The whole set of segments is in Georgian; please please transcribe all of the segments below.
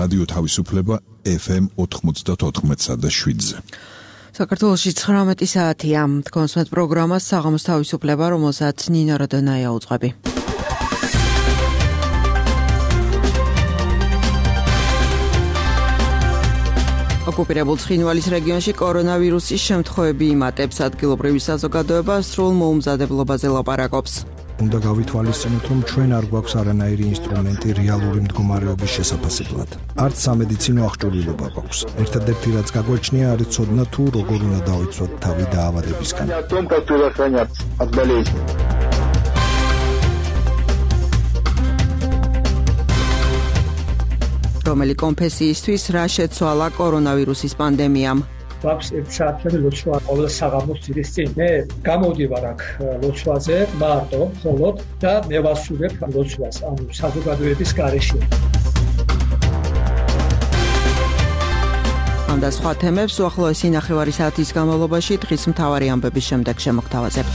რადიო თავისუფლება FM 94.7-ზე. საქართველოში 19 საათია. კონსმეთ პროგრამას საღამოს თავისუფლება, რომელსაც ნინო როდონაია უძღვები. ოკუპირებულ ცხინვალის რეგიონში კორონავირუსის შემთხვევები იმატებს. ადგილობრივი საზოგადოება სრულ მოუმზადებლობაზე ლაპარაკობს. უნდა გავითვალისწინოთ, რომ ჩვენ არ გვაქვს არანაირი ინსტრუმენტი რეალური მდგომარეობის შესაფასებლად. არც სამედიცინო აღჭურვილობა გვაქვს. ერთადერთი რაც გაგვაჩნია, არის ცოდნა თუ როგორ უნდა დავიცვათ თავი დაავადებისგან. რომელი კონფესიისთვის რა შეცვალა კორონავირუსის პანდემიამ? გვაქვს 1 საათიანი ლოცვა ყოველ საღამოს ძირის წინ. მე გამოვდივარ აქ ლოცვაზე მარტო მხოლოდ და მე ვასრულებ ლოცვას, ანუ საზოგადოების გარეშე. ამ და სხვა თემებს უახლოესი ნახევარი საათის განმავლობაში დღის მთავარი ამბების შემდეგ შემოგთავაზებთ.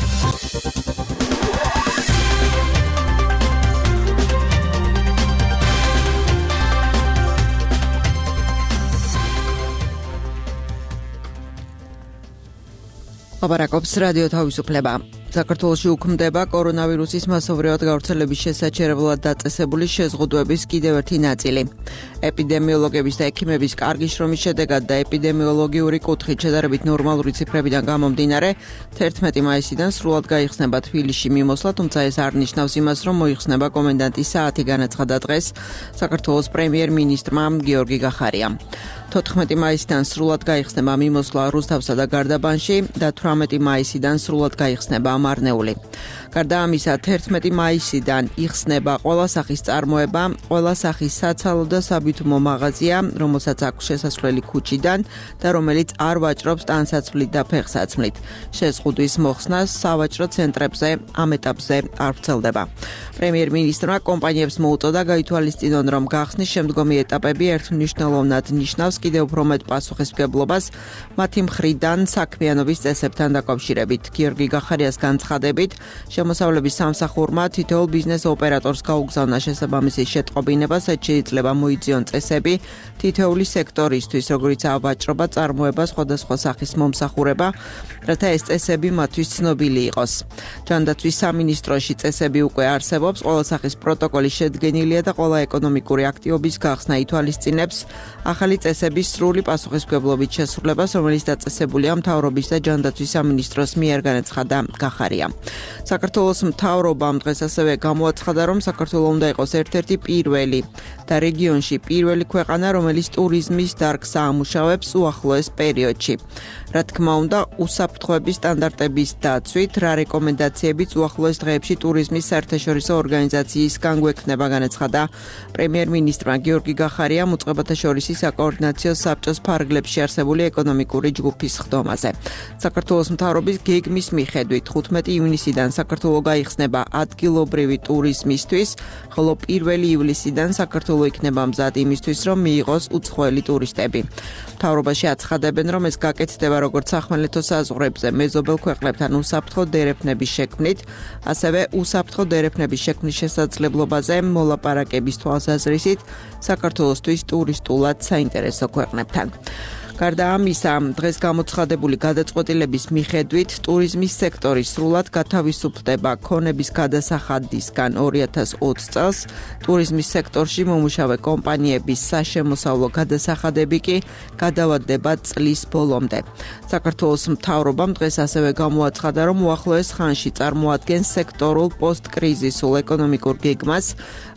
ლაპარაკობს რადიო თავისუფლება. საქართველოში უქმდება კორონავირუსის მასობრივად გავრცელების შესაჩერებლად დაწესებული შეზღუდვების კიდევ ერთი ნაწილი. ეპიდემიოლოგების და ექიმების კარგი შრომის შედეგად და ეპიდემიოლოგიური კუთხით შედარებით ნორმალური ციფრებიდან გამომდინარე, 11 მაისიდან სრულად გაიხსნება თბილისში მიმოსვლა, თუმცა ეს არ ნიშნავს იმას, რომ მოიხსნება კომენდანტის საათი, განაცხადა დღეს საქართველოს პრემიერ-მინისტრმა გიორგი გახარიამ. 14 მაისიდან სრულად გაიხსნება მიმოსვლა რუსთავსა და გარდაბანში და 18 მაისიდან სრულად გაიხსნება მარნეული. გარდა ამისა, 11 მაისიდან იხსნება ყველა სახის წარმოება, ყველა სახის საცალო და საბითუმო მაღაზია, რომელსაც აქვს შესასვლელი ქუჩიდან და რომელიც არ ვაჭრობს ტანსაცმლით და ფეხსაცმლით. შეზღუდვის მოხსნა სავაჭრო ცენტრებზე ამ ეტაპზე არ ვრცელდება. პრემიერ-მინისტრმა კომპანიებს მოუწოდა გაითვალისწინონ, რომ გახსნის შემდგომი ეტაპები ერთმნიშვნელოვნად ნიშნავს კიდევ უფრო მეტ პასუხისმგებლობას მათი მხრიდან საქმიანობის წესებთან დაკავშირებით. გიორგი გახარიას განცხადებით, შემოსავლების სამსახურმა თითოეულ ბიზნეს ოპერატორს გაუგზავნა შესაბამისი შეტყობინება, სადაც შეიძლება მოიძიონ წესები თითოეული სექტორისთვის, როგორიცაა ვაჭრობა, წარმოება, სხვადასხვა სახის მომსახურება, რათა ეს წესები მათთვის ცნობილი იყოს. ჯანდაცვის სამინისტროში წესები უკვე არსებობს, ყველა სახის პროტოკოლი შედგენილია და ყველა ეკონომიკური აქტივობის გახსნა ითვალისწინებს ახალი წესების სრული პასუხისმგებლობით შესრულებას, რომელიც დაწესებულია მთავრობის და ჯანდაცვის სამინისტროს მიერ, განაცხადა გახარიამ. საქართველოს მთავრობამ დღეს ასევე გამოაცხადა, რომ საქართველო უნდა იყოს ერთ-ერთი პირველი და რეგიონში პირველი ქვეყანა, რომელიც ტურიზმის დარგს აამუშავებს უახლოეს პერიოდში. რა თქმა უნდა, უსაფრთხოების სტანდარტების დაცვით, რა რეკომენდაციებიც უახლოეს დღეებში ტურიზმის საერთაშორისო ორგანიზაციისგან გვექნება, განაცხადა პრემიერ-მინისტრმა გიორგი გახარიამ უწყებათა შორის საკოორდინაციო საბჭოს ფარგლებში არსებული ეკონომიკური ჯგუფის ხდომაზე. საქართველოს მთავრობის გეგმის მიხედვით 15 ივნისიდან საქართველო გაიხსნება ადგილობრივი ტურიზმისთვის, ხოლო 1 ივლისიდან საქართველო იქნება მზად იმისთვის, რომ მიიღოს უცხოელი ტურისტები. მთავრობაში აცხადებენ, რომ ეს გაკეთდება როგორც სახმელეთო საზღვრებზე მეზობელ ქვეყნებთან უსაფრთხო დერეფნების შექმნით, ასევე უსაფრთხო დერეფნების შექმნის შესაძლებლობაზე მოლაპარაკების თვალსაზრისით საქართველოსთვის ტურისტულად საინტერესო ქვეყნებთან. გარდა ამისა, დღეს გამოცხადებული გადაწყვეტილების მიხედვით ტურიზმის სექტორი სრულად გათავისუფლდება ქონების გადასახადისგან 2020 წელს. ტურიზმის სექტორში მომუშავე კომპანიების საშემოსავლო გადასახადები კი გადავადდება წლის ბოლომდე. საქართველოს მთავრობამ დღეს ასევე გამოაცხადა, რომ უახლოეს ხანში წარმოადგენს სექტორულ პოსტკრიზისულ ეკონომიკურ გეგმას,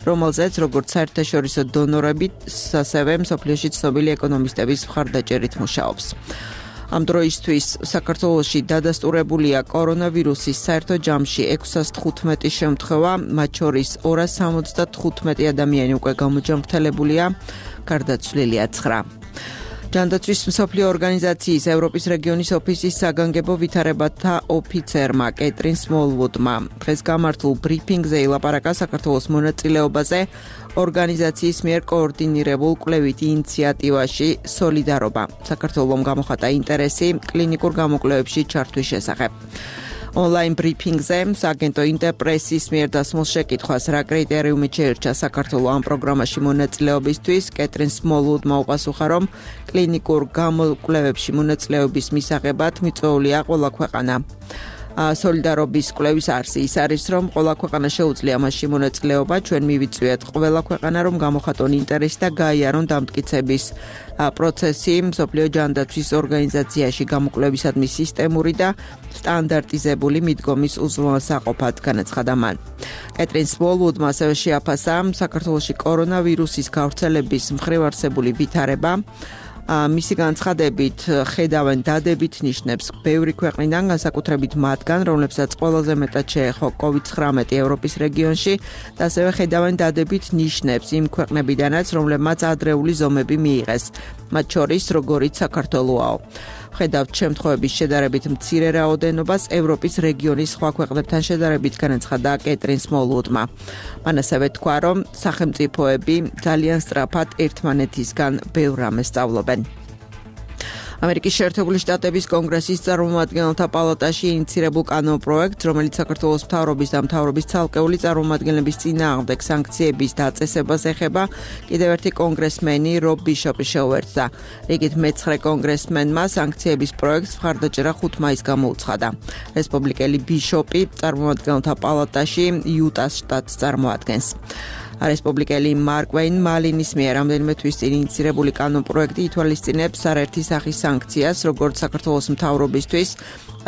რომელზეც როგორც საერთაშორისო დონორები, ასევე მსოფლიოში ცნობილი ეკონომისტების მხარდაჭერით მუშაობს. ამ დროისთვის საქართველოში დადასტურებულია კორონავირუსის საერთო ჯამში 615 შემთხვევა, მათ შორის 275 ადამიანი უკვე გამოჯანმრთელებულია, გარდაცვლილია 9. ჯანდაცვის მსოფლიო ორგანიზაციის ევროპის რეგიონის ოფისის საგანგებო ვითარებათა ოფიცერმა კეტრინ სმოლვუდმა დღეს გამართულ ბრიფინგზე ილაპარაკა საქართველოს მონაწილეობაზე ორგანიზაციის მიერ კოორდინირებულ კვლევით ინიციატივაში სოლიდარობა. საქართველომ გამოხატა ინტერესი კლინიკურ გამოკვლევებში ჩართვის შესახებ. Online ბრიფინგზე სააგენტო ინტერპრესის მიერ დასმულ შეკითხვას რა კრიტერიუმით შეირჩა საქართველოს ამ პროგრამაში მონაწილეობისთვის, კეტრინ სმოლუდმა უპასუხა, რომ კლინიკურ გამოკვლევებში მონაწილეობის მისაღებად მიწვეულია ყველა ქვეყანა. Სოლიდარობის კვლევის არსი ის არის, რომ ყველა ქვეყანა შეუძლია მასში მონაწილეობა, ჩვენ მივიწვიეთ ყველა ქვეყანა, რომ გამოხატონ ინტერესი და გაიარონ დამტკიცების პროცესი მსოფლიო ჯანდაცვის ორგანიზაციაში გამოკვლევისადმი სისტემური და სტანდარტიზებული მიდგომის უზრუნველსაყოფად, განაცხადა მან. კეტრინ სმოლუდმა ასევე შეაფასა საქართველოში კორონავირუსის გავრცელების მხრივ არსებული ვითარება. მისი განცხადებით ხედავენ დადებით ნიშნებს ბევრი ქვეყნიდან, განსაკუთრებით მათგან, რომლებსაც ყველაზე მეტად შეეხო COVID-19 ევროპის რეგიონში და ასევე ხედავენ დადებით ნიშნებს იმ ქვეყნებიდანაც, რომლებმაც ადრეული ზომები მიიღეს, მათ შორის როგორიც საქართველოა. ხედავთ შემთხვევების შედარებით მცირე რაოდენობას ევროპის რეგიონის სხვა ქვეყნებთან შედარებით, განაცხადა კეტრინ სმოლუდმა. მან ასევე თქვა, რომ სახელმწიფოები ძალიან სწრაფად ერთმანეთისგან ბევრ რამეს სწავლობენ. ამერიკის შეერთებული შტატების კონგრესის წარმომადგენელთა პალატაში ინიცირებულ კანონპროექტს, რომელიც საქართველოს მთავრობის და მთავრობის ცალკეული წარმომადგენლების წინააღმდეგ სანქციების დაწესებას ეხება, კიდევ ერთი კონგრესმენი რობ ბიშოპი შეუერთდა. რიგით მე-9 კონგრესმენმა სანქციების პროექტს მხარდაჭერა 5 მაისს გამოუცხადა. რესპუბლიკელი ბიშოპი წარმომადგენელთა პალატაში იუტას შტატს წარმოადგენს. რესპუბლიკელი მარკ ვეინ მალინის მიერ რამდენიმე თვის წინ ინიცირებული კანონპროექტი ითვალისწინებს არაერთი სახის სანქციას, როგორც საქართველოს მთავრობისთვის,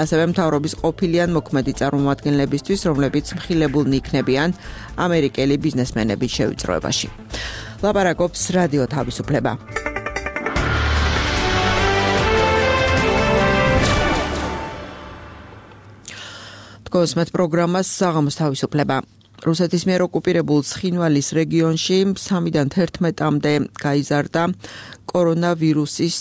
ასევე მთავრობის ყოფილი ან მოქმედი წარმომადგენლებისთვის, რომლებიც მხილებულნი იქნებიან ამერიკელი ბიზნესმენების შევიწროებაში. ლაპარაკობს რადიო თავისუფლება. თქვენს პროგრამას საღამოს თავისუფლება. რუსეთის მიერ ოკუპირებულ ცხინვალის რეგიონში 3-დან 11-მდე გაიზარდა კორონავირუსის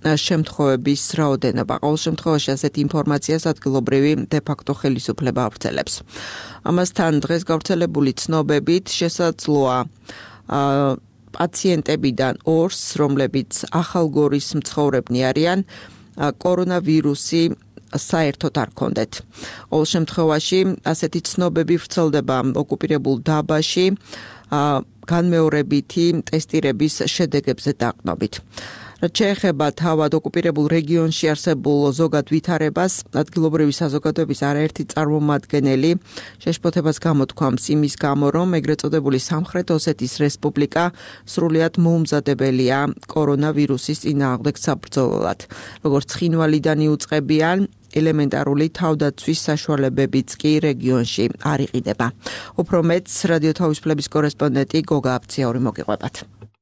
შემთხვევების რაოდენობა. ყოველ შემთხვევაში ასეთ ინფორმაციას ადგილობრივი დე-ფაქტო ხელისუფლება ავრცელებს. ამასთან დღეს გავრცელებული ცნობებით შესაძლოა პაციენტებიდან 2-ს, რომლებიც ახალგორის მცხოვრებნი არიან, კორონავირუსი საერთოდ არ ქონდეთ. ყოველ შემთხვევაში ასეთი ცნობები ვრცელდება ოკუპირებულ დაბაში განმეორებითი ტესტირების შედეგებზე დაყრდნობით. რაც შეეხება თავად ოკუპირებულ რეგიონში არსებულ ზოგად ვითარებას, ადგილობრივი საზოგადოების არაერთი წარმომადგენელი შეშფოთებას გამოთქვამს იმის გამო, რომ ეგრეთ წოდებული სამხრეთ ოსეთის რესპუბლიკა სრულიად მოუმზადებელია კორონავირუსის წინააღმდეგ საბრძოლველად. როგორც ცხინვალიდან იუწყებიან, ელემენტარული თავდაცვის საშუალებებიც კი რეგიონში არ იყიდება. უფრო მეტს რადიო თავისუფლების კორესპონდენტი გოგა აფციური მოგიყვებათ.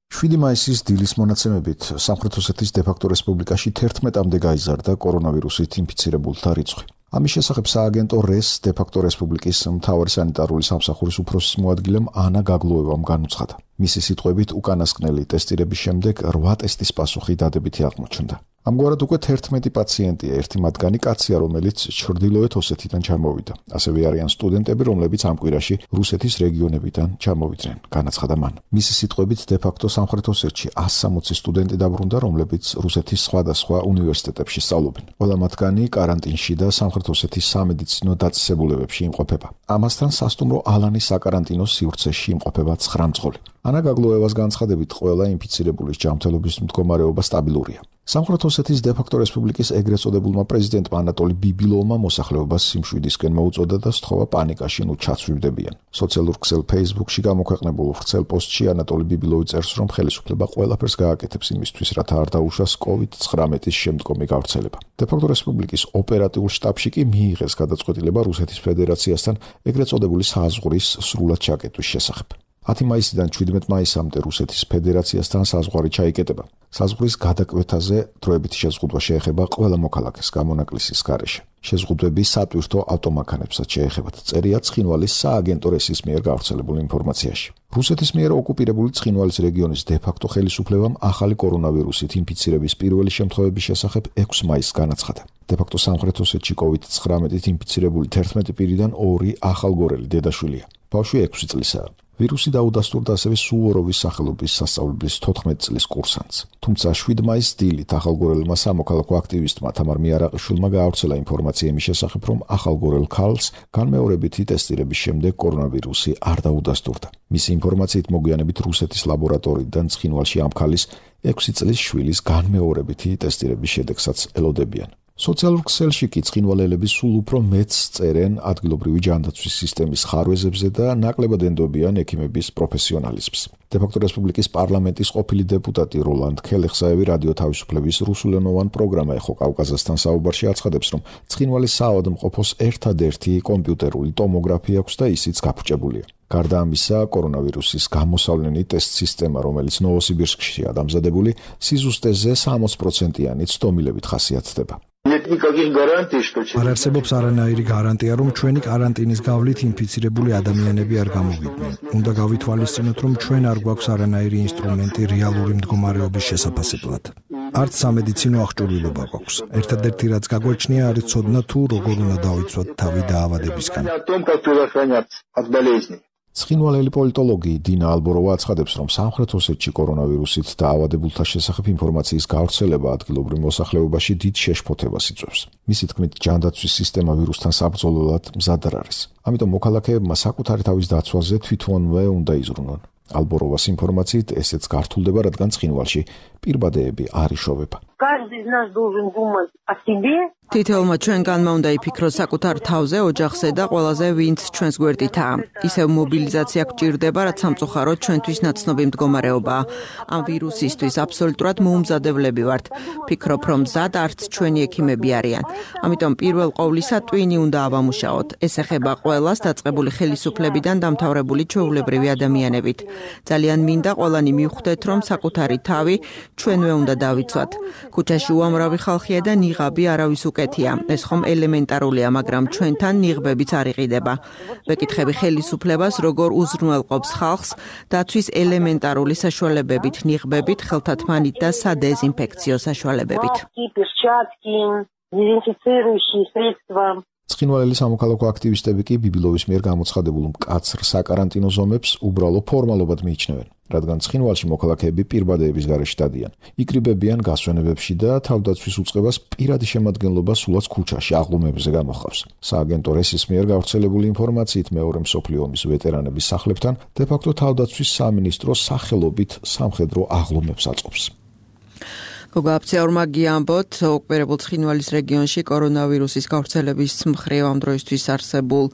7 მაისის დილის მონაცემებით სამხრეთ ოსეთის დე-ფაქტო რესპუბლიკაში 11-მდე გაიზარდა კორონავირუსით ინფიცირებულთა რიცხვი. ამის შესახებ სააგენტო რეს დე-ფაქტო რესპუბლიკის მთავარი სანიტარული სამსახურის უფროსის მოადგილემ ანა გაგლოევამ განუცხადა. მისი სიტყვებით, უკანასკნელი ტესტირების შემდეგ 8 ტესტის პასუხი დადებითი აღმოჩნდა. ამგვარად უკვე 11 პაციენტია, ერთი მათგანი კაცია, რომელიც ჩრდილოეთ ოსეთიდან ჩამოვიდა. ასევე არიან სტუდენტები, რომლებიც ამ კვირაში რუსეთის რეგიონებიდან ჩამოვიდნენ, განაცხადა მან. მისი სიტყვებით, დე-ფაქტო სამხრეთ ოსეთში 160 სტუდენტი დაბრუნდა, რომლებიც რუსეთის სხვადასხვა უნივერსიტეტებში სწავლობენ. ყველა მათგანი კარანტინში და სამხრეთ ოსეთის სამედიცინო დაწესებულებებში იმყოფება. ამასთან სასტუმრო ალანის საკარანტინო სივრცეში იმყოფება 9 მძღოლი. ანა გაგლოევას განცხადებით, ყველა ინფიცირებულის ჯანმრთელობის მდგომარეობა სტაბილურია. სამხრეთ ოსეთის დე-ფაქტო რესპუბლიკის ეგრეთ წოდებულმა პრეზიდენტმა ანატოლი ბიბილოვმა მოსახლეობას სიმშვიდისკენ მოუწოდა და სთხოვა პანიკაში ჩაცვივდებიან. სოციალურ ქსელ Facebook-ში გამოქვეყნებულ ვრცელ პოსტში ანატოლი ბიბილოვი წერს, რომ ხელისუფლება ყველაფერს გააკეთებს იმისთვის, რათა არ დაუშვას COVID-19-ის შემდგომი გავრცელება. დე-ფაქტო რესპუბლიკის ოპერატიულ შტაბში კი მიიღეს გადაწყვეტილება რუსეთის ფედერაციასთან ეგრეთ წოდებული საზღვრის სრულად ჩაკეტვის შესახებ. 10 მაისიდან 17 მაისამდე რუსეთის ფედერაციასთან საზღვარი ჩაიკეტება. საზღვრის გადაკვეთაზე დროებითი შეზღუდვა შეეხება ყველა მოქალაქეს გამონაკლისის გარეშე. შეზღუდვები სატვირთო ავტომანქანებსაც შეეხებათ, წერია ცხინვალის სააგენტო რესის მიერ გავრცელებულ ინფორმაციაში. რუსეთის მიერ ოკუპირებული ცხინვალის რეგიონის დე-ფაქტო ხელისუფლებამ ახალი კორონავირუსით ინფიცირების პირველი შემთხვევების შესახებ 6 მაისს განაცხადა. დე-ფაქტო სამხრეთ ოსეთში COVID-19-ით ინფიცირებული 11 პირიდან 2 ახალგორელი დედაშვილია. ბავშვი 6 წლისაა. ვირუსი დაუდასტურდა ასევე სუვოროვის სახელობის სასწავლებლის 14 წლის კურსანტს. თუმცა 7 მაისს დილით ახალგორელმა სამოქალაქო აქტივისტმა თამარ მიარაყიშვილმა გაავრცელა ინფორმაცია იმის შესახებ, რომ ახალგორელ ქალს განმეორებითი ტესტირების შემდეგ კორონავირუსი არ დაუდასტურდა. მისი ინფორმაციით მოგვიანებით რუსეთის ლაბორატორიიდან ცხინვალში ამ ქალის 6 წლის შვილის განმეორებითი ტესტირების შედეგსაც ელოდებიან. სოციალურ ქსელში კი ცხინვალელები სულ უფრო მეც წერენ ადგილობრივი ჯანდაცვის სისტემის ხარვეზებზე და ნაკლებად ენდობიან ექიმების პროფესიონალიზმს. დე-ფაქტო რესპუბლიკის პარლამენტის ყოფილი დეპუტატი როლანდ ქელეხსაევი რადიო თავისუფლების რუსულენოვან პროგრამა ეხო კავკაზასთან საუბარში აცხადებს, რომ ცხინვალის საავადმყოფოს ერთადერთი კომპიუტერული ტომოგრაფი აქვს და ისიც გაფუჭებულია. გარდა ამისა, კორონავირუსის გამოსავლენი ტესტ სისტემა, რომელიც ნოვოსიბირსკშია დამზადებული, სიზუსტეზე 60%-იანი ცდომილებით ხასიათდება. არ არსებობს არანაირი გარანტია, რომ ჩვენი კარანტინის გავლით ინფიცირებული ადამიანები არ გამოვიდნენ. უნდა გავითვალისწინოთ, რომ ჩვენ არ გვაქვს არანაირი ინსტრუმენტი რეალური მდგომარეობის შესაფასებლად. არც სამედიცინო აღჭურვილობა გვაქვს. ერთადერთი რაც გაგვაჩნია, არის ცოდნა თუ როგორ უნდა დავიცვათ თავი დაავადებისგან. ცხინვალელი პოლიტოლოგი დინა ალბოროვა აცხადებს, რომ სამხრეთ ოსეთში კორონავირუსით დაავადებულთა შესახებ ინფორმაციის გავრცელება ადგილობრივ მოსახლეობაში დიდ შეშფოთებას იწვევს. მისი თქმით, ჯანდაცვის სისტემა ვირუსთან საბრძოლველად მზად არ არის. ამიტომ მოქალაქეებმა საკუთარი თავის დაცვაზე თვითონვე უნდა იზრუნონ. ალბოროვას ინფორმაციით ესეც გართულდება, რადგან ცხინვალში პირბადეები არ იშოვება. თითოეულმა ჩვენგანმა უნდა იფიქროს საკუთარ თავზე, ოჯახზე და ყველაზე ვინც ჩვენს გვერდითაა. ისევ მობილიზაცია გვჭირდება, რაც სამწუხაროდ ჩვენთვის ნაცნობი მდგომარეობაა. ამ ვირუსისთვის აბსოლუტურად მოუმზადებლები ვართ. ფიქრობ, რომ მზად არც ჩვენი ექიმები არიან. ამიტომ პირველ ყოვლისა ტვინი უნდა ავამუშაოთ. ეს ეხება ყველას, დაწყებული ხელისუფლებიდან დამთავრებული ჩვეულებრივი ადამიანებით. ძალიან მინდა ყველანი მივხვდეთ, რომ საკუთარი თავი ჩვენვე უნდა დავიცვათ. ქუჩაში უამრავი ხალხია და ნიღაბი არავის უკეთია. ეს ხომ ელემენტარულია, მაგრამ ჩვენთან ნიღბებიც არ იყიდება. ვეკითხები ხელისუფლებას, როგორ უზრუნველყოფს ხალხს დაცვის ელემენტარული საშუალებებით, ნიღბებით, ხელთათმანით და სადეზინფექციო საშუალებებით. ცხინვალელი სამოქალაქო აქტივისტები კი ბიბილოვის მიერ გამოცხადებულ მკაცრ საკარანტინო ზომებს უბრალო ფორმალობად მიიჩნევენ, რადგან ცხინვალში მოქალაქეები პირბადეების გარეშე დადიან, იკრიბებიან გასვენებებში და თავდაცვის უწყებას პირადი შემადგენლობა სულაც ქუჩაში აღლუმებზე გამოხავს. სააგენტო რესის მიერ გავრცელებული ინფორმაციით მეორე მსოფლიო ომის ვეტერანების სახლებთან დე-ფაქტო თავდაცვის სამინისტრო სახელობით სამხედრო აღლუმებს აწყობს. გოგაფციაურმა გიამბოთ, ოკუპირებულ ცხინვალის რეგიონში კორონავირუსის გავრცელების მხრივ ამ დროისთვის არსებულ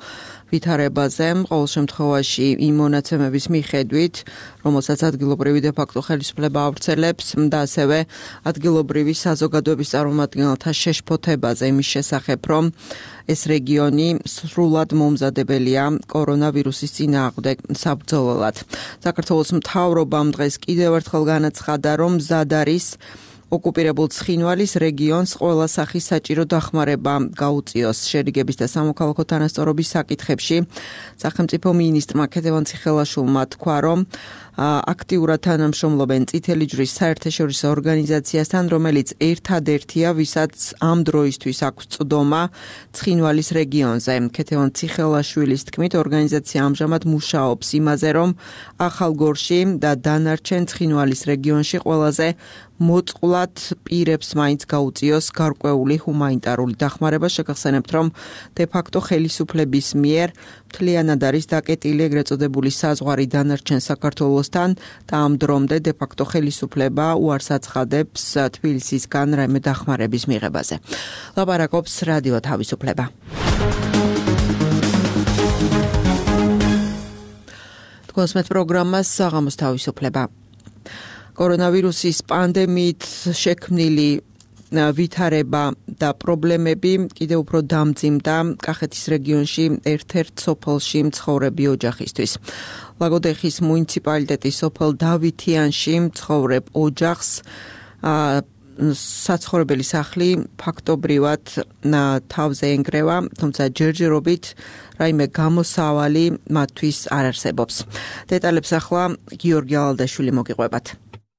ვითარებაზე, ყოველ შემთხვევაში იმ მონაცემების მიხედვით, რომელსაც ადგილობრივი დე-ფაქტო ხელისუფლება ავრცელებს და ასევე ადგილობრივი საზოგადოების წარმომადგენელთა შეშფოთებაზე იმის შესახებ, რომ ეს რეგიონი სრულად მომზადებელია კორონავირუსის წინააღმდეგ საბრძოლველად. საქართველოს მთავრობამ დღეს კიდევ ერთხელ განაცხადა, რომ მზად არის ოკუპირებულ ცხინვალის რეგიონს ყველა სახის საჭირო დახმარება გაუწიოს შერიგების და სამოქალაქო თანასწორობის საკითხებში. სახელმწიფო მინისტრმა ქეთევან ციხელაშვილმა თქვა, რომ აქტიურად თანამშრომლობენ წითელი ჯვრის საერთაშორისო ორგანიზაციასთან, რომელიც ერთადერთია, ვისაც ამ დროისთვის აქვს წვდომა ცხინვალის რეგიონზე. ქეთევან ციხელაშვილის თქმით, ორგანიზაცია ამჟამად მუშაობს იმაზე, რომ ახალგორში და დანარჩენ ცხინვალის რეგიონში ყველაზე მოწყვლად პირებს მაინც გაუწიოს გარკვეული ჰუმანიტარული დახმარება. შეგახსენებთ, რომ დე-ფაქტო ხელისუფლების მიერ მთლიანად არის დაკეტილი ეგრეთ წოდებული საზღვარი დანარჩენ საქართველოსთან და ამ დრომდე დე-ფაქტო ხელისუფლება უარს აცხადებს თბილისისგან რაიმე დახმარების მიღებაზე. ლაპარაკობს რადიო თავისუფლება. თქვენს პროგრამას საღამოს თავისუფლება. კორონავირუსის პანდემიით შექმნილი ვითარება და პრობლემები კიდევ უფრო დამძიმდა კახეთის რეგიონში ერთ-ერთ სოფელში მცხოვრები ოჯახისთვის. ლაგოდეხის მუნიციპალიტეტის სოფელ დავითიანში მცხოვრებ ოჯახს საცხოვრებელი სახლი ფაქტობრივად თავზე ენგრევა, თუმცა ჯერჯერობით რაიმე გამოსავალი მათთვის არ არსებობს. დეტალებს ახლა გიორგი ალალდაშვილი მოგიყვებათ.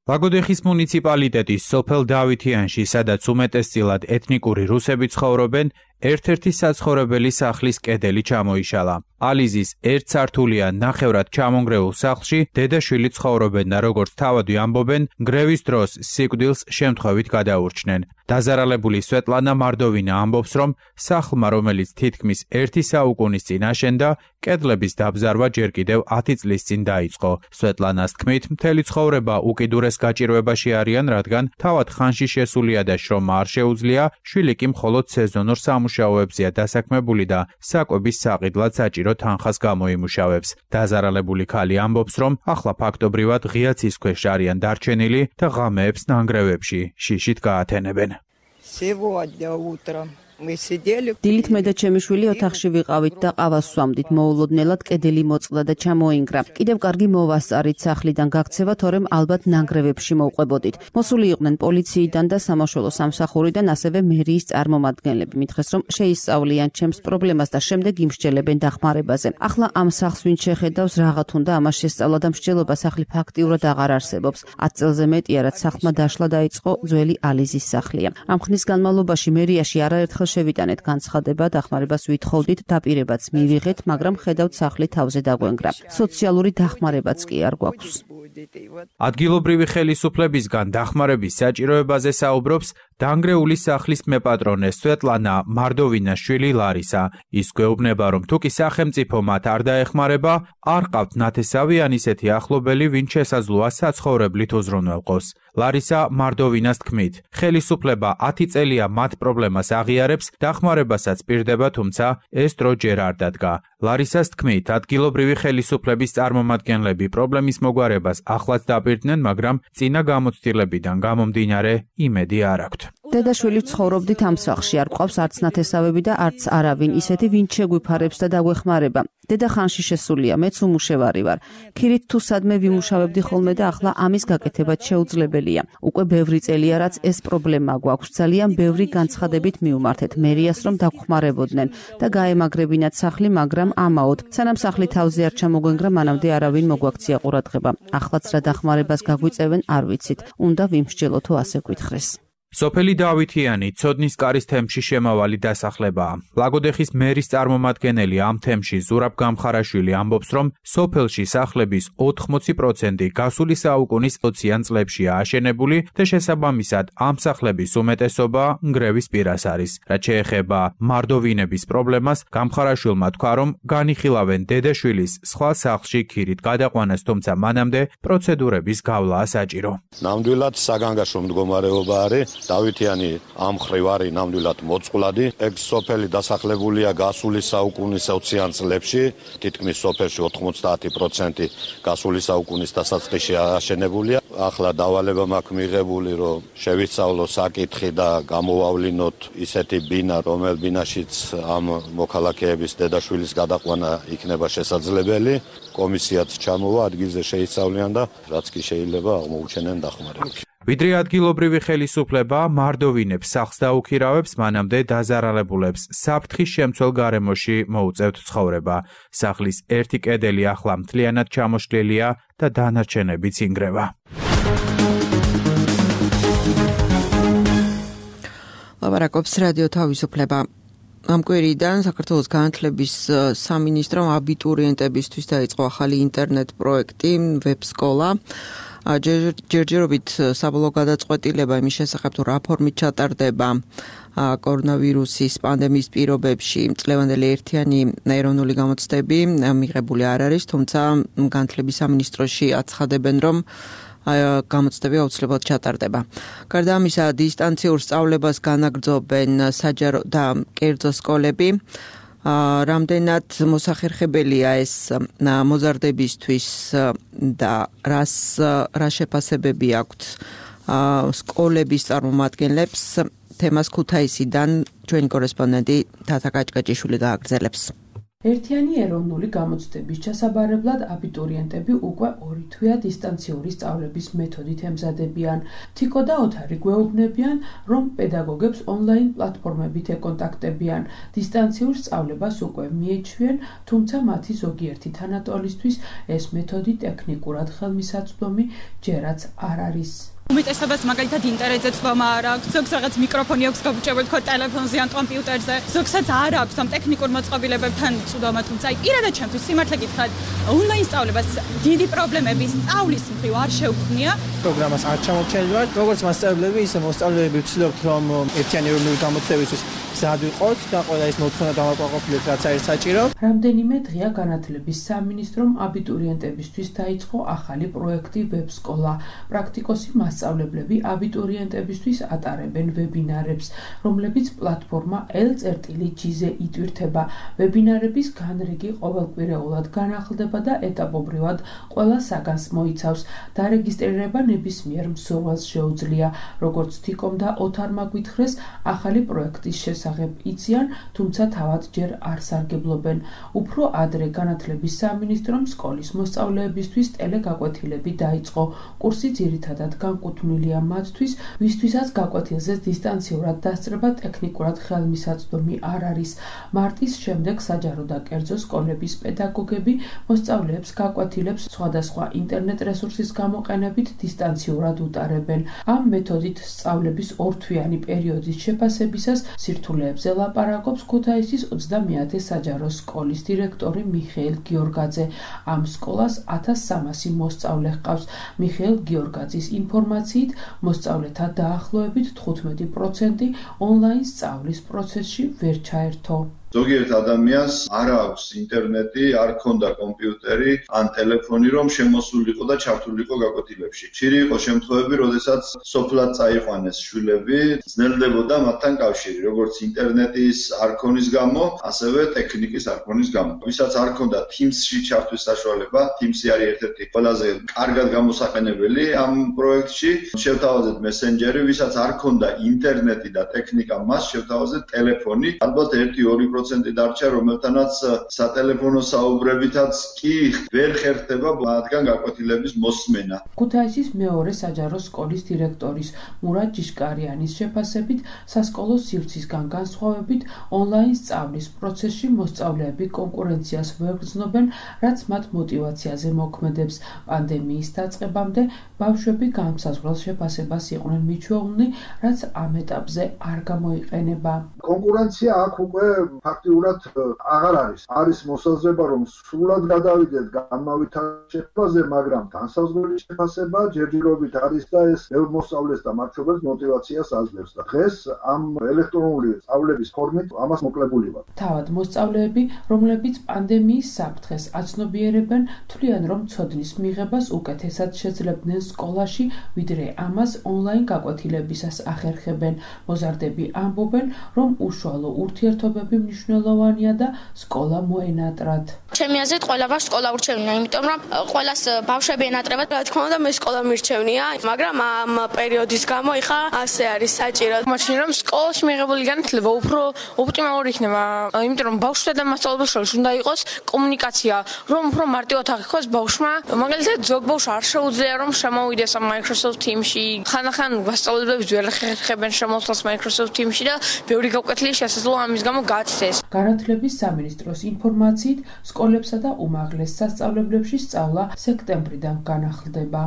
ლაგოდეხის მუნიციპალიტეტის სოფელ დავითიანში, სადაც უმეტესწილად ეთნიკური რუსები ცხოვრობენ, ერთ-ერთი საცხოვრებელი სახლის კედელი ჩამოიშალა. ალიზის ერთსართულიან ნახევრად ჩამონგრეულ სახლში დედა-შვილი ცხოვრობენ და როგორც თავადი ამბობენ, გრევის დროს სიკვდილს შემთხვევით გადაურჩნენ. დაზარალებული სვეტლანა მარდოვინა ამბობს, რომ სახლმა, რომელიც თითქმის 1 საუკუნის წინ აშენდა, კედლების დაბზარვა ჯერ კიდევ 10 წლის წინ დაიწყო. სვეტლანას თქმით, მთელი ცხოვრება უკიდურეს გაჭირვებაში არიან, რადგან თავად ხანში შესულია და შრომა არ შეუძლია, შვილი კი მხოლოდ სეზონურ სამუშაოებზეა დასაქმებული და საკვების საყიდლად საჭირო თანხას გამოიმუშავებს. დაზარალებული ქალი ამბობს, რომ ახლა ფაქტობრივად ღია ცის ქვეშ არიან დარჩენილი და ღამეებს ნანგრევებში შიშით გაათენებენ. დილით მე და ჩემი შვილი ოთახში ვიყავით და ყავას ვსვამდით. მოულოდნელად კედელი მოწყდა და ჩამოინგრა. კიდევ კარგი მოვასწარით სახლიდან გაქცევა, თორემ ალბათ ნანგრევებში მოვყვებოდით. მოსული იყვნენ პოლიციიდან და სამაშველო სამსახურიდან, ასევე მერიის წარმომადგენლები. მითხრეს, რომ შეისწავლიან ჩემს პრობლემას და შემდეგ იმსჯელებენ დახმარებაზე. ახლა ამ სახლს ვინც შეხედავს, რაღაც უნდა ამას შესწავლა და მსჯელობა სახლი ფაქტიურად აღარ არსებობს. 10 წელზე მეტია, რაც სახლმა დაშლა დაიწყო, ძველი ალიზის სახლია. ამ ხნის განმავლობაში მერიაში არაერთხელ შევიტანეთ განცხადება, დახმარებას ვითხოვდით, დაპირებაც მივიღეთ, მაგრამ ხედავთ სახლი თავზე დაგვენგრა. სოციალური დახმარებაც კი არ გვაქვს. ადგილობრივი ხელისუფლებისგან დახმარების საჭიროებაზე საუბრობს დანგრეული სახლის მეპატრონე სვეტლანა მარდოვინას შვილი ლარისა. ის გვეუბნება, რომ თუ კი სახელმწიფო მათ არ დაეხმარება, არ ყავთ ნათესავი ან ისეთი ახლობელი, ვინც შესაძლოა საცხოვრებლით უზრუნველყოს. ლარისა მარდოვინას თქმით, ხელისუფლება 10 წელია მათ პრობლემას აღიარებს, დახმარებასაც პირდება, თუმცა ეს დრო ჯერ არ დადგა. ლარისას თქმით, ადგილობრივი ხელისუფლების წარმომადგენლები პრობლემის მოგვარებას ახლაც დაპირდნენ, მაგრამ წინა გამოცდილებიდან გამომდინარე იმედი არ აქვთ. დედა-შვილი ცხოვრობდით ამ სახლში, არ გვყავს არც ნათესავები და არც არავინ, ისეთი ვინც შეგვიფარებს და დაგვეხმარება. დედა ხანში შესულია, მეც უმუშევარი ვარ. ქირით თუ სადმე ვიმუშავებდი ხოლმე და ახლა ამის გაკეთებაც შეუძლებელია. უკვე ბევრი წელია, რაც ეს პრობლემა გვაქვს. ძალიან ბევრი განცხადებით მივმართეთ მერიას, რომ დაგხმარებოდნენ და გაემაგრებინათ სახლი, მაგრამ ამაოდ. სანამ სახლი თავზე არ ჩამოგვენგრა, მანამდე არავინ მოგვაქცია ყურადღება. ახლაც რა დახმარებას გაგვიწევენ, არ ვიცით. უნდა ვიმსჯელო თუ ასე გვითხრეს. სოფელი დავითიანი ცოდნის კარის თემში შემავალი დასახლებაა. ლაგოდეხის მერის წარმომადგენელი ამ თემში ზურაბ გამხარაშვილი ამბობს, რომ სოფელში სახლების 80% გასული საუკუნის 20-იან წლებშია აშენებული და შესაბამისად ამ სახლების უმეტესობა ნგრევის პირას არის. რაც შეეხება მარდოვინების პრობლემას, გამხარაშვილმა თქვა, რომ განიხილავენ დედა-შვილის სხვა სახლში ქირით გადაყვანას, თუმცა მანამდე პროცედურების გავლაა საჭირო. ნამდვილად საგანგაშო მდგომარეობა არის. დავითიანი ამ მხრივ არის ნამდვილად მოწყვლადი. ეგ სოფელი დასახლებულია გასული საუკუნის 20-იან წლებში, თითქმის სოფელში 90% გასული საუკუნის დასაწყისში აშენებულია. ახლა დავალება მაქვს მიღებული, რომ შევისწავლო საკითხი და გამოვავლინოთ ისეთი ბინა, რომელ ბინაშიც ამ მოქალაქეების დედაშვილის გადაყვანა იქნება შესაძლებელი. კომისიაც ჩამოვა, ადგილზე შეისწავლიან და რაც კი შეიძლება აღმოუჩენენ დახმარებას. ვიდრე ადგილობრივი ხელისუფლება მარდოვინებს სახლს დაუქირავებს, მანამდე დაზარალებულებს საფრთხის შემცველ გარემოში მოუწევთ ცხოვრება. სახლის ერთი კედელი ახლა მთლიანად ჩამოშლილია და დანარჩენებიც ინგრევა. ლაპარაკობს რადიო თავისუფლება. ამ კვირიდან საქართველოს განათლების სამინისტრომ აბიტურიენტებისთვის დაიწყო ახალი ინტერნეტ პროექტი ვებსკოლა. ჯერჯერობით საბოლოო გადაწყვეტილება იმის შესახებ, თუ რა ფორმით ჩატარდება კორონავირუსის პანდემიის პირობებში წლევანდელი ერთიანი ეროვნული გამოცდები მიღებული არ არის, თუმცა განათლების სამინისტროში აცხადებენ, რომ გამოცდები აუცილებლად ჩატარდება. გარდა ამისა, დისტანციურ სწავლებას განაგრძობენ საჯარო და კერძო სკოლები. რამდენად მოსახერხებელია ეს მოზარდებისთვის და რა შეფასებები აქვთ სკოლების წარმომადგენლებს, თემას ქუთაისიდან ჩვენი კორესპონდენტი თათა კაჭკაჭიშვილი გააგრძელებს. ერთიანი ეროვნული გამოცდების ჩასაბარებლად აბიტურიენტები უკვე 2 თვეა დისტანციური სწავლების მეთოდით ემზადებიან. თიკო და ოთარი გვეუბნებიან, რომ პედაგოგებს ონლაინ პლატფორმებით ეკონტაქტებიან. დისტანციურ სწავლებას უკვე მიეჩვიან, თუმცა მათი ზოგიერთი თანატოლისთვის ეს მეთოდი ტექნიკურად ხელმისაწვდომი ჯერაც არ არის. უმეტესობას მაგალითად ინტერნეტზე წვომა არ აქვს, ზოგს რაღაც მიკროფონი აქვს გაუჭებული თქო ტელეფონზე ან კომპიუტერზე, ზოგსაც არ აქვს ამ ტექნიკურ მოწყობილებებთან წვდომა, თუმცა პირადად ჩემთვის სიმართლე გითხრათ, ონლაინ სწავლებას დიდი პრობლემები სწავლის მხრივ არ შეუქმნია. პროგრამას არ ჩამორჩენილვართ, როგორც მასწავლებლები, ისე მოსწავლეები ვცდილობთ, რომ ერთიანი ეროვნული გამოცდილებისთვის გზად ვიყოთ და ყველა ის მოთხოვნა დავაკმაყოფილოთ, რაც არის საჭირო. რამდენიმე დღეა განათლების სამინისტრომ აბიტურიენტებისთვის დაიწყო ახალი პროექტი ვებსკოლა. პრაქტიკოსი მასწავლებლები აბიტურიენტებისთვის ატარებენ ვებინარებს, რომლებიც პლატფორმა L.G-ზე იტვირთება. ვებინარების განრიგი ყოველკვირეულად განახლდება და ეტაპობრივად ყველა საგანს მოიცავს. დარეგისტრირება ნებისმიერ მსურველს შეუძლია, როგორც თიკომ და ოთარმა გვითხრეს, ახალი პროექტის შესახებ იციან, თუმცა თავად ჯერ არ სარგებლობენ. უფრო ადრე განათლების სამინისტრომ სკოლის მოსწავლეებისთვის ტელეგაკვეთილები დაიწყო. კურსი ძირითადად განკუთვნილია მათთვის, ვისთვისაც გაკვეთილზე დისტანციურად დასწრება ტექნიკურად ხელმისაწვდომი არ არის. მარტის შემდეგ საჯარო და კერძო სკოლების პედაგოგები მოსწავლეებს გაკვეთილებს სხვადასხვა ინტერნეტ რესურსის გამოყენებით დისტანციურად უტარებენ. ამ მეთოდით სწავლების ორთვიანი პერიოდის შეფასებისას სირთულეებზე ლაპარაკობს ქუთაისის 30-ე საჯარო სკოლის დირექტორი მიხეილ გიორგაძე. ამ სკოლას 1300 მოსწავლე ჰყავს. მიხეილ გიორგაძის ინფორმაციით, მოსწავლეთა დაახლოებით 15% ონლაინ სწავლის პროცესში ვერ ჩაერთო. ზოგიერთ ადამიანს არ აქვს ინტერნეტი, არ ქონდა კომპიუტერი ან ტელეფონი, რომ შემოსულიყო და ჩართულიყო გაკვეთილებში. ხშირი იყო შემთხვევები, როდესაც სოფლად წაიყვანეს შვილები, ძნელდებოდა მათთან კავშირი, როგორც ინტერნეტის არ ქონის გამო, ასევე ტექნიკის არ ქონის გამო. ვისაც არ ქონდა Teams-ში ჩართვის საშუალება, Teams-ი არის ერთ-ერთი ყველაზე კარგად გამოსაყენებელი ამ პროექტში. შევთავაზეთ მესენჯერი, ვისაც არ ქონდა ინტერნეტი და ტექნიკა, მას შევთავაზეთ ტელეფონი. ალბათ 1-2% დარჩა, რომელთანაც სატელეფონო საუბრებითაც კი ვერ ხერხდება მათგან გაკვეთილების მოსმენა. ქუთაისის მეორე საჯარო სკოლის დირექტორის მურად ჯიშკარიანის შეფასებით, სასკოლო სივრცისგან განსხვავებით, ონლაინ სწავლის პროცესში მოსწავლეები კონკურენციას ვერ გრძნობენ, რაც მათ მოტივაციაზე მოქმედებს. პანდემიის დაწყებამდე ბავშვები განსაზღვრელ შეფასებას იყვნენ მიჩვეულნი, რაც ამ ეტაპზე არ გამოიყენება. კონკურენცია აქ უკვე ფაქტიურად აღარ არის. არის მოსაზრება, რომ სრულად გადავიდეთ გამავითარ შეფასებაზე, მაგრამ განსაზღვრელი შეფასება ჯერჯერობით არის და ეს ბევრ მოსწავლეს და მათ შორის მოტივაციას აძლევს და დღეს ამ ელექტრონული სწავლების ფორმით ამას მოკლებული ვართ. თავად მოსწავლეები, რომლებიც პანდემიის საფრთხეს აცნობიერებენ, თვლიან, რომ ცოდნის მიღებას უკეთესად შეძლებდნენ სკოლაში, ვიდრე ამას ონლაინ გაკვეთილებისას ახერხებენ. მოზარდები ამბობენ, რომ უშუალო ურთიერთობები მნიშვნელოვანია და სკოლა მოენატრათ. ჩემი აზრით ყველა ბავშვს სკოლა ურჩევნია, იმიტომ რომ ყველას ბავშვები ენატრებათ. რა თქმა უნდა, მე სკოლა მირჩევნია, მაგრამ ამ პერიოდის გამო იხა ასე არის საჭირო. მაშინ რომ სკოლაში მიღებული განათლება უფრო ოპტიმალური იქნება, იმიტომ რომ ბავშვსა და მასწავლებლის შორის უნდა იყოს კომუნიკაცია, რომ უფრო მარტივად აღიქواس ბავშვმა. მაგალითად, ზოგ ბავშვს არ შეუძლია რომ შემოვიდეს ამ Microsoft Teams-ში. ხანახან მასწავლებლები ვერ ხერხებენ შემოსვლას Microsoft Teams-ში და ბევრი გაკვეთილი შესაძლოა ამის გამო გაცდეს. განათლების სამინისტროს ინფორმაციით, სკოლებსა და უმაღლეს სასწავლებლებში სწავლა სექტემბრიდან განახლდება.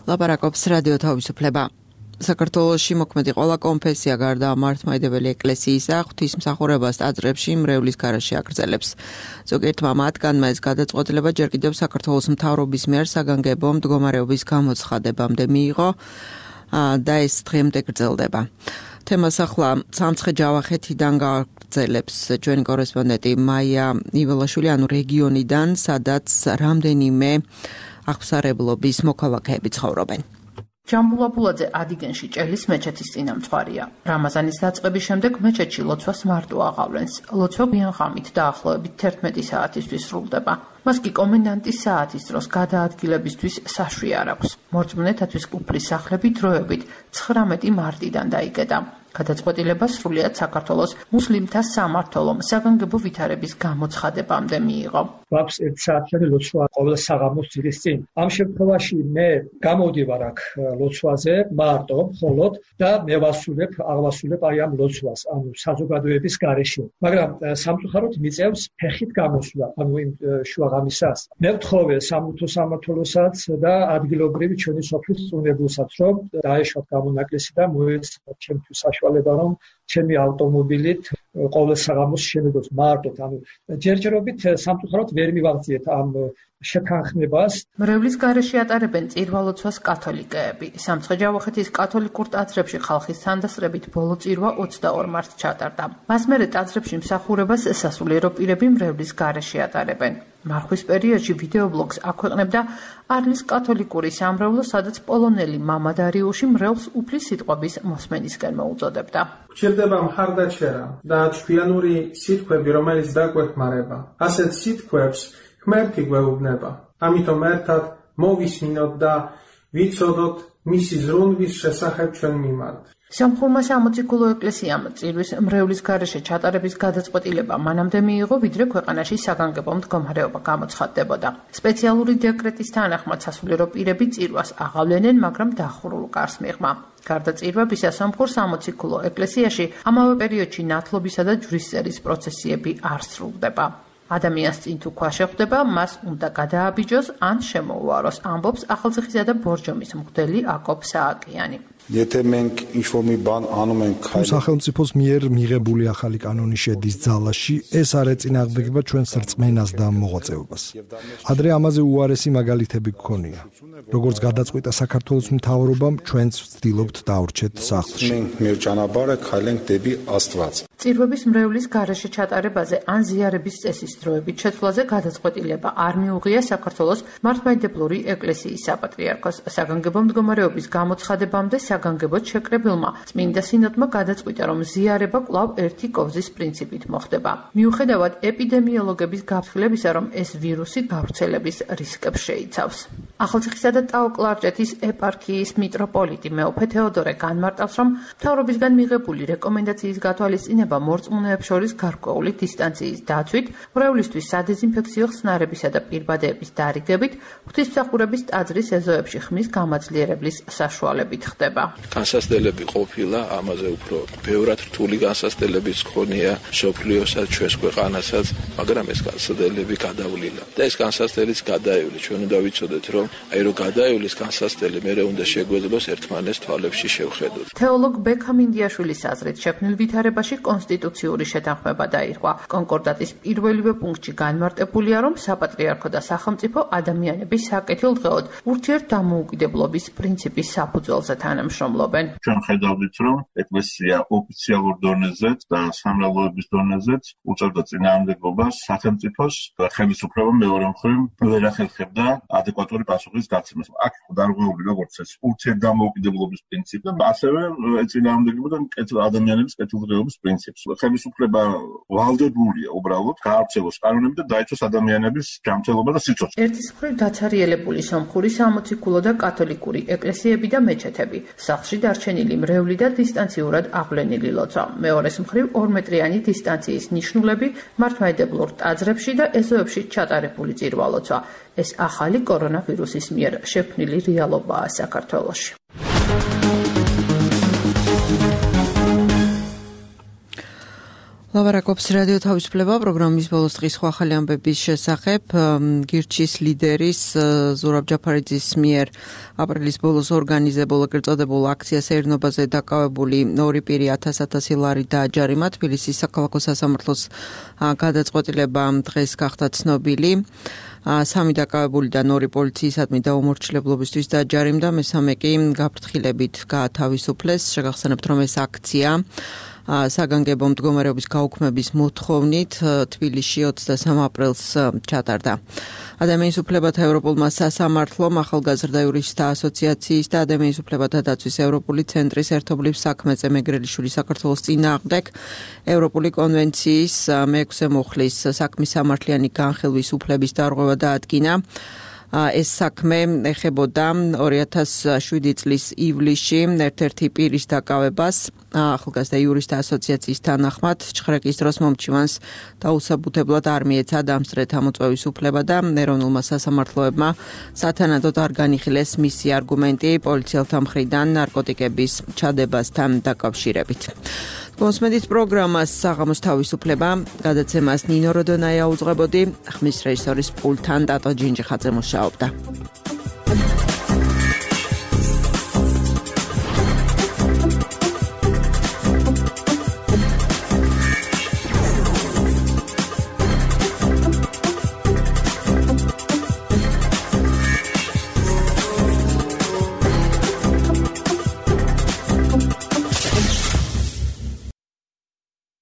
ლაპარაკობს რადიო თავისუფლება. საქართველოში მოქმედი ყველა კონფესია გარდა მართლმადიდებელი ეკლესიისა ღვთისმსახურებას ტაძრებში მრევლის გარეშე აგრძელებს. ზოგიერთმა მათგანმა ეს გადაწყვეტილება ჯერ კიდევ საქართველოს მთავრობის მიერ საგანგებო მდგომარეობის გამოცხადებამდე მიიღო და ეს დღემდე გრძელდება. თემას ახლა სამცხე-ჯავახეთიდან გააგრძელებს ჩვენი კორესპონდენტი მაია იველაშვილი, ანუ რეგიონიდან, სადაც რამდენიმე აღსარებლობის მოქალაქეები ცხოვრობენ. ჯამბულაბულაძე ადიგენში ჭელის მეჩეთის წინამძღვარია. რამაზანის დაწყების შემდეგ მეჩეთში ლოცვას მარტო აღავლენს. ლოცვა გვიანღამით დაახლოებით 11 საათისთვის სრულდება. მას კი კომენდანტის საათის დროს გადაადგილებისთვის საშვი არ აქვს. მორწმუნეთათვის უფლის სახლები დროებით 19 მარტიდან დაიკეტა. გადაწყვეტილება სრულიად საქართველოს მუსლიმთა სამმართველომ საგანგებო ვითარების გამოცხადებამდე მიიღო. გვაქვს 1 საათიანი ლოცვა ყოველ საღამოს ძირის წინ. ამ შემთხვევაში მე გამოვდივარ აქ ლოცვაზე მარტო მხოლოდ და მე აღვასრულებ აი ამ ლოცვას, ანუ საზოგადოების გარეშე. მაგრამ სამწუხაროდ მიწევს ფეხით გამოსვლა, ანუ იმ შუაღამისას. მე ვთხოვე სამართო სამართლოსაც და ადგილობრივი ჩვენი სოფლის წუნებულსაც, რომ დაეშვათ გამონაკლისი და მოეცათ ჩემთვის საშუალება, რომ ჩემი ავტომობილით ყოველ საღამოს შემედოს მარტოდ, ანუ ჯერჯერობით სამწუხაროდ ვერ მივაღწიეთ ამ შეთანხმებას. მრევლის გარეშე ატარებენ წირვალოცვას კათოლიკეები. სამცხე-ჯავახეთის კათოლიკურ ტაძრებში ხალხის თანდასწრებით ბოლო წირვა 22 მარტს ჩატარდა. მას მერე ტაძრებში მსახურებას სასულიერო პირები მრევლის გარეშე ატარებენ. მარხვის პერიოდში ვიდეობლოგს აქვეყნებდა არლის კათოლიკური სამრევლო, სადაც პოლონელი მამა დარიუში მრევლს უფლის სიტყვების მოსმენისკენ მოუწოდებდა. გვჭირდება მხარდაჭერა და ჩვიანური სიტყვები, რომელიც დაგვეხმარება. ასეთ სიტყვებს ღმერთი გვეუბნება. ამიტომ ერთად მოვისმინოთ და ვიცოდოთ მისი ზრუნვის შესახებ ჩვენ მიმართ. სამხურმა სამოციქულო ეკლესიამ წირვის მრევლის გარეშე ჩატარების გადაწყვეტილება მანამდე მიიღო, ვიდრე ქვეყანაში საგანგებო მდგომარეობა გამოცხადდებოდა. სპეციალური დეკრეტის თანახმად სასულიერო პირები წირვას აღავლენენ, მაგრამ დახურულ კარს მიღმა. გარდა წირვებისა, სამხურ სამოციქულო ეკლესიაში ამავე პერიოდში ნათლობისა და ჯვრისწერის პროცესიები არ სრულდება. ადამიანს წინ თუ ქვა შეხვდება, მას უნდა გადააბიჯოს ან შემოუაროს, ამბობს ახალციხისა და ბორჯომის მღვდელი აკოპ სააკიანი. სახელმწიფოს მიერ მიღებული ახალი კანონი შედის ძალაში, ეს არ ეწინააღმდეგება ჩვენს რწმენას და მოღვაწეობას. ადრე ამაზე უარესი მაგალითები გქონია. როგორც გადაწყვიტა საქართველოს მთავრობამ, ჩვენც ვცდილობთ დავრჩეთ სახლში. წირვების მრევლის გარეშე ჩატარებაზე ან ზიარების წესის დროებით შეცვლაზე გადაწყვეტილება არ მიუღია საქართველოს მართლმადიდებლური ეკლესიის საპატრიარქოს. საგანგებო მდგომარეობის გამოცხადებამდე საგანგებოდ შეკრებილმა წმინდა სინოდმა გადაწყვიტა, რომ ზიარება კვლავ ერთი კოვზის პრინციპით მოხდება. მიუხედავად ეპიდემიოლოგების გაფრთხილებისა, რომ ეს ვირუსი გავრცელების რისკებს შეიცავს. ახალციხისა და ტაო-კლარჯეთის ეპარქიის მიტროპოლიტი მეუფე თეოდორე განმარტავს, რომ მთავრობისგან მიღებული რეკომენდაციის გათვალისწინება მორწმუნეებს შორის გარკვეული დისტანციის დაცვით, მრევლისთვის სადეზინფექციო ხსნარებისა და პირბადეების დარიგებით, ღვთისმსახურების ტაძრის ეზოებში ხმის გამაძლიერებლის საშუალებით ხდება. განსასწრებელი ყოფილა, ამაზე უფრო ბევრად რთული განსასწრებების ქონია სოფლიოსაც, ჩვენს ქვეყანასაც, მაგრამ ეს განსასწრებელი გადავლილა. და ეს განსასწრებელიც გადაივლის. ჩვენ უნდა ვიცოდეთ, რომ აი რომ გადაივლის განსასწრებელი, მერე უნდა შეგვეძლოს ერთმანეთს თვალებში შევხედოთ. თეოლოგ ბექა მინდიაშვილის აზრით, შექმნილ ვითარებაში კონსტიტუციური შეთანხმება დაირღვა. კონკორდატის პირველივე პუნქტში განმარტებულია, რომ საპატრიარქო და სახელმწიფო ადამიანების საკეთილდღეოდ ურთიერთდამოუკიდებლობის პრინციპის საფუძველზე თანამშრომლობენ. ჩვენ ხედავთ, რომ ეკლესია ოფიციალურ დონეზეც და სამრევლოების დონეზეც უწევდა წინააღმდეგობას სახელმწიფოს ხელისუფლებამ მეორე მხრივ ვერ ახერხებდა ადეკვატური პასუხის გაცემას. აქ დარღვეული როგორც ეს ურთიერთდამოუკიდებლობის პრინციპი, ასევე წინააღმდეგებოდა ადამიანების კეთილდღეობის პრინციპს. ხელისუფლება ვალდებულია უბრალოდ გაარჩევოს კანონები და დაიცვას ადამიანების ჯანმრთელობა და სიცოცხლე. ერთის მხრივ დაცარიელებული სომხური სამოციქულო და კათოლიკური ეკლესიები და მეჩეთები, სახლში დარჩენილი მრევლი და დისტანციურად აღვლენილი ლოცვა. მეორეს მხრივ 2 მეტრიანი დისტანციის ნიშნულები მართლმადიდებლურ ტაძრებში და ეზოებში ჩატარებული წირვალოცვა. ეს ახალი კორონავირუსის მიერ შექმნილი რეალობაა საქართველოში. ლაბარაკობს რადიო თავისუფლება პროგრამის ბოლოს დღის ახალი ამბების შესახებ. გირჩის ლიდერის ზურაბ ჯაფარიძის მიერ აპრილის ბოლოს ორგანიზებულ ეგრეთ წოდებულ აქციას ერნობაზე დაკავებული 2 პირი 1000 ლარი დააჯარიმა. თბილისის საქალაქო სასამართლოს გადაწყვეტილება დღეს გახდა ცნობილი. 3 დაკავებულიდან 2 პოლიციისადმი დაუმორჩილებლობისთვის დააჯარიმდა, მესამე კი გაფრთხილებით გაათავისუფლეს. შეგახსენებთ, რომ ეს აქცია საგანგებო მდგომარეობის გაუქმების მოთხოვნით თბილისში 23 აპრილს ჩატარდა. ადამიანის უფლებათა ევროპულმა სასამართლომ ახალგაზრდა იურისტთა ასოციაციის და ადამიანის უფლებათა დაცვის ევროპული ცენტრის ერთობლივ საქმეზე მეგრელიშვილი საქართველოს წინააღმდეგ ევროპული კონვენციის 6 მუხლის საქმის სამართლიანი განხილვის უფლების დარღვევა დაადგინა. ეს საქმე ეხებოდა 2007 წლის ივლისში ერთ-ერთი პირის დაკავებას ახალგაზრდა იურისტთა ასოციაციის თანახმად ჭხრეკის დროს მომჩივანს დაუსაბუთებლად არ მიეცა დამსწრეთა მოწვევის უფლება და ეროვნულმა სასამართლოებმა სათანადოდ არ განიხილეს მისი არგუმენტი პოლიციელთა მხრიდან ნარკოტიკების ჩადებასთან დაკავშირებით. Მოსმენით პროგრამას საღამოს თავისუფლება გადაცემას ნინო როდონაია უძღვებოდი, ხმის რეჟისორის პულტთან დატო ჯინჯიხაძე მუშაობდა.